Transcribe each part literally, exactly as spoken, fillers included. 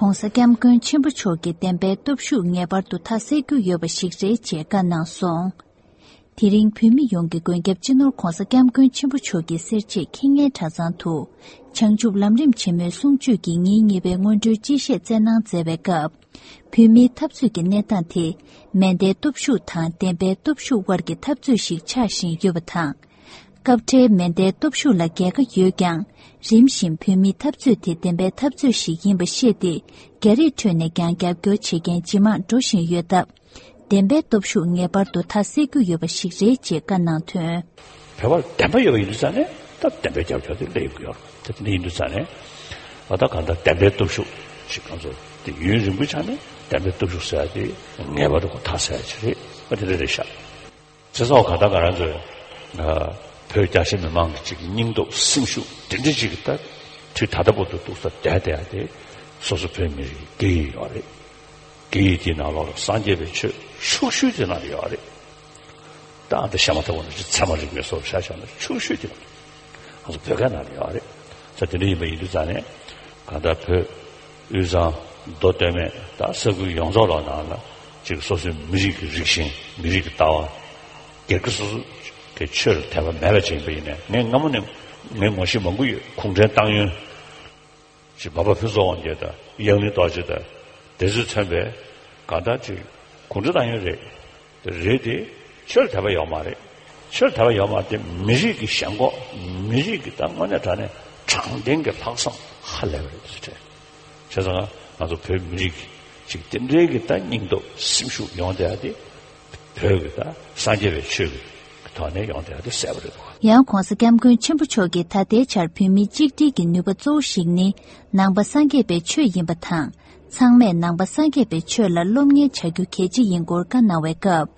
༸གོང་ས་༸སྐྱབས་མགོན་ཆེན་པོ་མཆོག་གིས་བདེན་པའི་སྟོབས་ཤུགས་ངེས་པར་དུ་མཐའ་གསལ་རྒྱུ་ཡོད་པ་ཞིག་རེད་ཅེས་བཀའ་གནང་སོང་། དེ་རིང་བོད་མི་ཡོངས་ཀྱི་མགོན་སྐྱབས་སྤྱི་ནོར་༸གོང་ས་༸སྐྱབས་མགོན་ཆེན་པོ་མཆོག་གི་གསེར་བྱེས་ཁེངས་ངན་གྲྭ་ཚང་དུ། བྱང་ཆུབ་ལམ་རིམ་ཆེན་མོའི་གསུང་ཆོས་ཀྱི་ཉིན་གཉིས་པའི་སྔོན་འགྲོའི་སྤྱི་བཤད་སྩལ་གནང་མཛད་པའི་སྐབས། བོད་མིའི་འཐབ་རྩོད་ཀྱི་གནས་སྟངས་དེ། མེ་མདའི་སྟོབས་ཤུགས་དང་བདེན་པའི་སྟོབས་ཤུགས་དབར་གྱི་འཐབ་རྩོད་ཞིག་ཆགས་བཞིན་ཡོད་པ་དང་། སྐབས་འཕྲལ་མེ་མདའི་སྟོབས་ཤུགས་ལ་རྒྱལ་ཁ་ཡོད་ཀྱང་། རིམ་བཞིན་བོད་མིའི་འཐབ་རྩོད་དེ་བདེན་པའི་འཐབ་རྩོད་ཞིག་ཡིན་པ་ཤེས་ཏེ། རྒྱ་རིགས་ཁྲོད་ནས་ཀྱང་རྒྱབ་སྐྱོར་བྱེད་མཁན་ཇེ་མང་འགྲོ་བཞིན་ཡོད་སྟབས། བདེན་པའི་སྟོབས་ཤུགས་ངེས་པར་དུ་མཐའ་གསལ་རྒྱུ་ཡོད་པ་ཞིག་རེད་ཅེས་བཀའ་གནང་དོན། བོད་པར་བདེན་པ་ཡོད་པ་ཡིན་དུས་ཙང་ནས་ད་བདེན་པའི་རྒྱབ་སྐྱོར་དེ་སླེབས་ཡོང་གི་ཡོད་རེད། དེ་འདྲ་ཡིན་དུས་ཙང་ནས་ཨ་ད་གང་ལྟར་བདེན་པའི་སྟོབས་ཤུགས་ཞིག་ང་ཚོ་དེ་ཡུན་རིང་པོའི་ཆ་ནས་བདེན་པའི་སྟོབས་ཤུགས་ཟེར་ཡ་དེ་ངེས་པར་དུ་ཁོ་མཐའ་གསལ་ཡ་ཅིག་རེད། ཨ་དེ་འདྲ་རེད་ཤག་བྱས་ཙང་གང་ལྟར་ང་རང་ཚོས་ཨ་བོད་རྒྱ་ཆེ་མི་མང་གི་ཅིག་སྙིང་སྟོབས་སེམས་ཤུགས་དེ་འདྲ་ཅིག་གི་ད་དུས་ད་ལྟ་བར་དུ་འདུག་ས་བསྡད་བསྡད་ཡ་དེ་སོ་སོ་བོད་མི་རིགས་ཀྱི་སྐད་ཡིག་ཡོད་རེད། སྐད་ཡིག་དེའི་ནང་ལོགས་ལ་སངས་རྒྱས་པའི་ཆོས་ཕྱོགས་བཞི་དེ་ནང་ལ་ཡོད་རེད། ད་ཨ་ད་བཤད་མ་ཐུབ་པ་ནང་བཞིན་ཚད་མ་རིག་པའི་སོགས་བཤད་བཞག་ན་ཕྱོགས་བཞི་དེ་ང་ཚོ་བོད་སྐད་ནང་ལ་ཡོད་རེད། ད་དེ་འདྲ་ཡིན་པ་ཡིན་དུས་ཙང་ནས་གང་ལྟར་བོད་དབུས་གཙང་མདོ་སྟོད་སྨད་ད་ས་ཁུལ་ཡོངས་རྫོགས་ལ་ནང་ལ་ཅིག་སོ་སོའི་མི་རིགས་ཀྱི་རིགས་ཞེན་མི་རིགས་ཀྱི་ལྟ་བ་སྒེར་གྱི་སོ་སོ་གི་ཆོས་ལ་དད་པ་མེད་པ་ཅིག་ཡིན་པ་ཡིན་ནའི་ངས་སྔ་མོ་ནས་ངའི་ངོ་ཤེས་མང་པོ་ཡོད། གུང་ཁྲན་ཏང་ཡོན། ཅིག་འབའ་པ་ཕུན་ཚོགས་དབང་རྒྱལ་དང་གཡང་གླིང་རྡོ་རྗེ་དང་དེ་ཚོས་མཚོན་པའི་གང་ལྟར་ཅིག་གུང་ཁྲན་ཏང་ཡོན་རེད། དེ་རེད་དེ་ཆོས་ལ་དད་པ་ཡོད་མ་རེད། ཆོས་ལ་དད་པ་ཡོད་མ་རེད་དེ་མི་རིགས་ཀྱི་ཞེན་ཁོག་མི་རིགས་ཀྱི་ད་དངོས་གནས་དྲང་གནས་དྲང་བདེན་གྱི་ལྷག་བསམ་ཧ་ལས་པ་རེད་དེ་ཚོ་དྲན། བྱས་ཙང་ང་ཚོ་བོད་མི་རིགས་ཀྱི་ཅིག་དེ་འདྲའི་གི་ད་སྙིང་སྟོབས་སེམས་ཤུགས་ཡོང་བསྡད་ཡ་དེ། བོད་ཀྱི་ད་སངས་རྒྱས་པའི་ཆོས་ཀྱི་ཐོག་ནས་ཡོང་བསྡད་ཡ་དེ་གསལ་པོ་རེད་འདུག་ཡང་༸གོང་ས་༸སྐྱབས་མགོན་ཆེན་པོ་མཆོག་གིས་ད་ལྟའི་ཆར་བོད་མིའི་གཅིག་སྒྲིལ་གྱི་ནུས་པ་གཙོ་བོ་ཞིག་ནི་ནང་པ་སངས་རྒྱས་པའི་ཆོས་ཡིན་པ་དང་། ཚང་མས་ནང་པ་སངས་རྒྱས་པའི་ཆོས་ལ་སློབ་གཉེར་བྱ་རྒྱུ་གལ་ཆེ་ཡིན་སྐོར་བཀའ་གནང་བའི་སྐབས།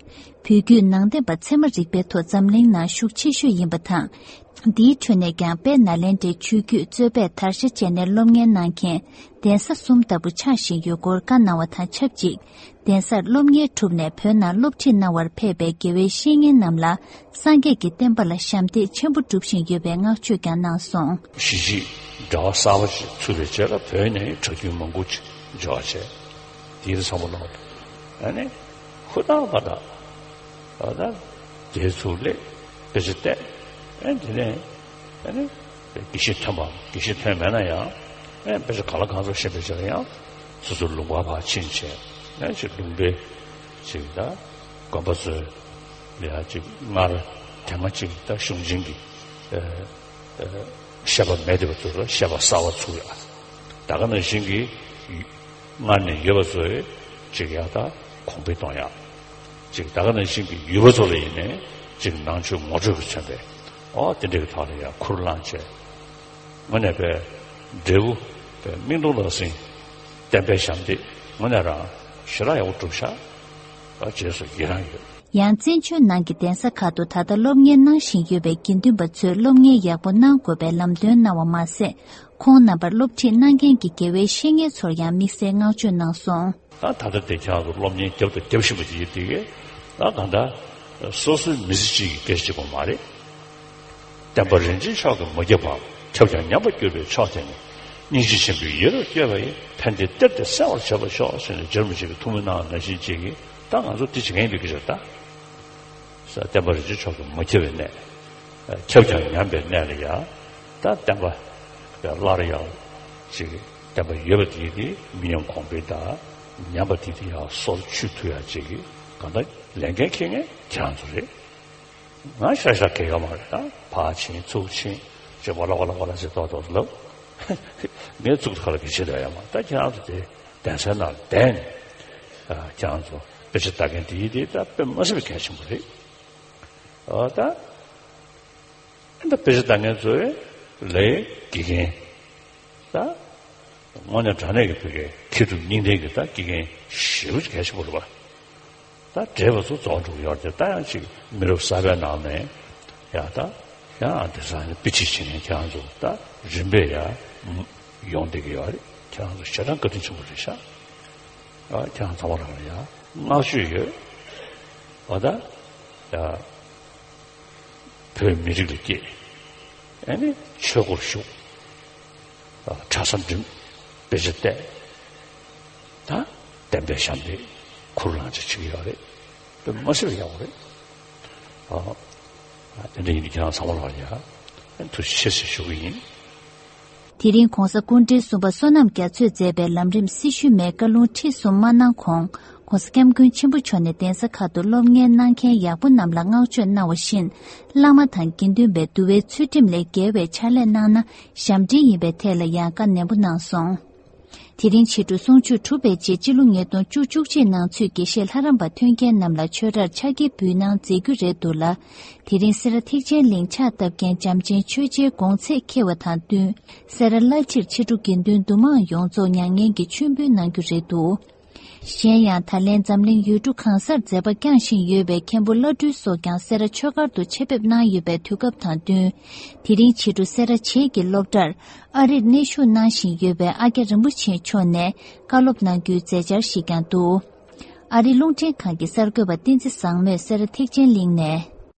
བོད་བརྒྱུད་ནང་བསྟན་པ་ཚད་མ་རིག་པའི་ཐོག་འཛམ་གླིང་ནང་ཤུགས་ཆེ་ཤོས་ཡིན་པ་དང་། འདིའི་ཁྲོད་ནས་ཀྱང་དཔལ་ནཱ་ལེནྡྲའི་ཆོས་བརྒྱུད་གཙོས་པས་དར་ཆ་བཅད་ནས་སློབ་གཉེར་གནང་མཁན་གདན་ས་གསུམ་ལྟ་བུ་ཆགས་བཞིན་ཡོད་སྐོར་བཀའ་གནང་བ་དང་ཆབས་ཅིག་གདན་སར་སློབ་གཉེར་གྲུབ་ནས་བོད་ནང་སློབ་ཁྲིད་གནང་བར་ཕེབས་པའི་དགེ་བའི་བཤེས་གཉེན་རྣམས་ལ་སངས་རྒྱས་ཀྱི་བསྟན་པ་ལ་ཞབས་འདེགས་ཆེན་པོ་སྒྲུབ་བཞིན་ཡོད་པའི་བསྔགས་བརྗོད་ཀྱང་གནང་སོང་། གཞིས་བྱེས་འབྲེལ་བ་གསར་པ་ཞིག་ཚུགས་པའི་རྗེས་ལ་བོད་ནས་གྲྭ་རྒྱུན་མང་པོ་ཅིག་འབྱོར་བ་བྱས། དེའི་ཚང་མ་ལོག་ཨ་ནི་ཧུར་ཐག་པ་དང་། ཨ་ད་དེའི་ཚུགས་ལས་དཔེ་ཆ་བལྟས། ཨ་དེ་ནས་ཨ་ནི་དགེ་བཤེས་ཐོན་པ་དགེ་བཤེས་ཐོན་མེད་ན་ཡང་ཨ་དཔེ་ཆ་གང་ལ་གང་འཚམ་ཤེས་པའི་ཆ་ལ་ཡང་སོ་སོ་ལུང་པ་ཕར་ཕྱིན་བྱས་ཨ་ཅིག་ལུང་པའི་ཅིག་ད་དགོན་པ་ཚོའི་ལ་ཡང་ཅིག་སྔར་དེ་སྔ་ཅིག་ད་གཞུང་ཆེན་གྱི་ཨ་ཨ་བཤད་པ་མེད་དེ་བ་ཚོ་ལ་བཤད་པ་གསར་པ་ཚུགས་ཡ། ད་ག་ནང་བཞིན་གྱི་སྔར་ནས་ཡོད་པ་ཚོས་ཅིག་ཡག་ད་གོང་འཕེལ་གཏོང་ཡག་ཅིག་ད་ག་ནང་བཞིན་གྱི་ཡུལ་པ་ཚོ་ལ་ཡིན་ནའི་ཅིག་ནང་ཆོས་ངོ་སྤྲོད་ཀྱི་མཚོན་པའི་ཨོ་དེ་འདྲ་གི་ཐོག་ལ་ཡང་ཁུར་བླངས་བྱས། དངོས་གནས་པའི་འབྲས་བུ་པའི་མིག་མཐོང་ལག་ཟིན་བསྟན་པའི་ཞབས་འདེགས་དངོས་གནས་རང་ཞེ་དྲག་ཡག་པོ་བསྒྲུབས་ཤག་ཨ་རྗེས་སུ་ཡི་རང་ཡོད། ཡང་བཙན་བྱོལ་ནང་གི་གདན་ས་ཁག་ཏུ་ད་ལྟ་སློབ་གཉེར་གནང་བཞིན་ཡོད་པའི་དགེ་འདུན་པ་ཚོས་སློབ་གཉེར་ཡག་པོ་གནང་དགོས་པའི་ལམ་སྟོན་གནང་བ་མ་ཟད། ཁོང་རྣམ་པར་སློབ་ཁྲིད་གནང་མཁན་གྱི་དགེ་བའི་བཤེས་གཉེན་ཚོར་ཡང་དམིགས་བསལ་བསྔགས་བརྗོད་གནང་སོང་། ད་ད་ལྟ་དེ་ཁྱེད་རང་ཚོ་སློབ་གཉེར་རྒྱབ་དང་རྒྱབ་བཞིན་པ་དེ་ཡིན་དེ་གས་ད་གང་ལྟར་སོ་སོའི་མི་ཚེ་གཅིག་གི་སྐད་ཆ་གཅིག་པོ་མ་རེད། བསྟན་པ་རིན་ཆེན་མཆོག་གིས་མ་ཁྱབ་པའམ་ཁྱབ་ཀྱང་ཉམས་པར་གྱུར་པའི་ཕྱོགས་དེ་ནི་སྙིང་རྗེ་ཆེན་པོས་ཡིད་རབ་བསྐྱོད་པ་ཡིས་ཕན་བདེའི་གཏེར་དེ་གསལ་བར་བྱེད་པར་ཤོག་ཟེར་ནས་རྗེ་རིན་པོ་ཆེ་གིས་ཐུགས་སྨོན་གནང་བ་ནང་བཞིན་གཅིག་གིས་ད་ང་ཚོ་དེ་བྱེད་མཁན་ཡིན་པའི་སྐད་ཆ་ད། ས་བསྟན་པ་རིན་ཆེན་མཆོག་གིས་མ་ཁྱབ་པའི་གནས། ཁྱབ་ཀྱང་ཉམས་པའི་གནས་ལ་ཡང་། ད་བསྟན་པ་སླར་ཡང་ཅིག་བསྟན་པ་ཡོད་པ་དེ་དེ་མི་ཉམས་གོང་འཕེལ་དང་ཉམས་པ་དེ་དེ་ཡང་སོར་ཆུད་ཐུབ་ཡ་ཅིག་གི་གང་ལྟར་ལས་འགན་འཁྱེར་མཁན་ཁྱེད་རང་ཚོ་རེད། ང་ཤ་ཤ་གལ་ཡོད་མ་རེད་ད་ཕར་ཕྱིན་ཚུར་ཕྱིན་ཅིག་ཝ་ལ་ཝ་ལ་ཝ་ལ་ཟེར་ཏོག་ཏོག་ལབ། ངས་ཚུགས་ཁ་ལ་གི་བྱེད་དོ་ཡ་མ་ད་ཁྱེད་རང་ཚོ་དེ། གདན་སའི་ནང་བསྡད་ནས་ཁྱེད་རང་ཚོ་དཔེ་ཆ་ལྟ་མཁན་དེ་ཡིན་དེ་ད་དཔེ་མ་སྲིད་པའི་གལ་ཆེན་པོ་རེད། ཨོ་ད་ཨ་ད་དཔེ་ཆ་ལྟ་མཁན་ཚོའི་ལས་དགེ་རྒན་ད་དངོས་གནས་དྲང་གནས་ཀྱི་བོད་སྐད་མཁས་གྲུབ་གཉིས་ལྡན་གྱི་ད་དགེ་རྒན་ཞེ་པོ་ཅིག་གལ་ཆེན་པོ་རེད་པ། ད་བགྲེས་པ་ཚོ་རྫོགས་འགྲོ་གི་ཡོད་རེད་དེ་ད་ཡང་ཅིག་མི་རབས་གསར་པའི་ནང་ནས་ཡང་ད་ཡང་དེང་སང་དཔེ་ཁྲིད་བྱེད་མཁན་ཁྱེད་རང་ཚོ་ད་རིམ་པས་ཡང་ཡོང་བསྡད་ཀྱི་ཡོད་རེད། ཁྱེད་རང་ཚོ་ཞེ་དྲག་བཀའ་དྲིན་ཆེན་པོ་རེད་ཤག་ཨ་ཁྱེད་རང་ཚང་མ་རང་ལ་ཡང་བསྔགས་བརྗོད་ཡོད། ཨ་ད་ཡ་བོད་མི་རིགས་ལ་སྐྱེས། ཨ་ནི་ཆོས་སྒོར་ཞུགས། ཨ་གྲྭ་ས་འགྲིམས། དཔེ་ཆ་བལྟས། ད་གཏན་འབེབས་བཤམས་ཏེ་ཁུར་ལངས་ཅིག་བྱེད་ཀྱི་ཡོད་རེད། དཔེ་མ་སྲིད་པ་ཡག་པོ་རེད། ཨ། དེ་འདྲ་ཡིན་དུས་ཁྱེད་རང་ཚང་མ་ལ་ཡ་ཐུགས་རྗེ་ཆེ་ཟེར་ཞུ་གི་ཡིན། དེ་རིང་གོང་ས་སྐུ་ཕྲེང་གསུམ་པ་བསོད་ནམས་རྒྱ་མཚོས་མཛད་པའི་ལམ་རིམ་སྲི་ཞུའི་མའི་བཀའ་ལུང་ཁྲིད་གསུམ་མ་གནང་གོང་། གོང་ས་སྐྱབས་མགོན་ཆེན་པོ་མཆོག་ནས་གདན་ས་ཁག་ཏུ་སློབ་གཉེར་གནང་མཁན་ཡག་པོ་རྣམས་ལ་བསྔགས་བརྗོད་གནང་བ་བཞིན། བླ་མ་དང་དགེ་འདུན་པས་འདུལ་བའི་ཚུལ་ཁྲིམས་ལས་འགལ་བའི་ཕྱག་ལས་གནང་ན་ཞབས་འདྲེན་ཡིན་པའི་ཐད་ལ་ཡང་བཀའ་ནན་པོ་གནང་སོང་། དེ་རིང་ཕྱི་དྲོ་གསུང་ཆོས་གྲུབ་པའི་རྗེས་སྤྱི་ལོ་ཉིས་སྟོང་བཅུ་གཅིག་ནང་ཚུད་དགེ་བཤེས་ལྷ་རམས་པ་ཐོན་མཁན་རྣམས་ལ་ཆོས་གྲྭར་ཕྱག་འཁྱེར་འབུལ་གནང་མཛད་རྒྱུ་རེད་འདུག་ལ། དེ་རིང་སེ་ར་ཐེག་ཆེན་གླིང་ཕྱག་བཏབ་མཁན་བྱམས་ཆེན་ཆོས་རྗེའི་དགོངས་ཚད་འཁེལ་བ་དང་བསྟུན། སེ་ར་བླ་སྤྱིར་ཕྱི་དྲོ་དགེ་འདུན་འདུ་མང་ཡོངས་རྫོགས་མྱ་ངན་གྱི་མཆོད་འབུལ་གནང་རྒྱུ་རེད་འདུག་གཞན་ཡང་ད་ལན་འཛམ་གླིང་ཡུལ་གྲུ་གང་སར་མཛད་པ་བསྐྱངས་བཞིན་ཡོད་པའི་མཁན་པོ་བླ་སྤྲུལ་སོགས་ཀྱང་སེ་ར་ཆོས་སྒར་དུ་ཆེད་ཕེབས་གནང་ཡོད་པའི་དུས་སྐབས་དང་བསྟུན། དེ་རིང་ཕྱི་དྲོ་སེ་ར་བྱེས་ཀྱི་སློབ་གྲྭར་ཨ་རིར་གནས་བཞུགས་གནང་བཞིན་ཡོད་པའི་ཨ་ཀྱ་རིན་པོ་ཆེ་མཆོག་ནས་བཀའ་སློབ་གནང་རྒྱུའི་མཛད་འཆར་ཞིག་ཀྱང་འདུག་ཨ་རི་རླུང་འཕྲིན་ཁང་གི་གསར་འགོད་པ་བསྟན་འཛིན་བཟང་མོས་སེ་ར་ཐེག་ཆེན་གླིང་ནས།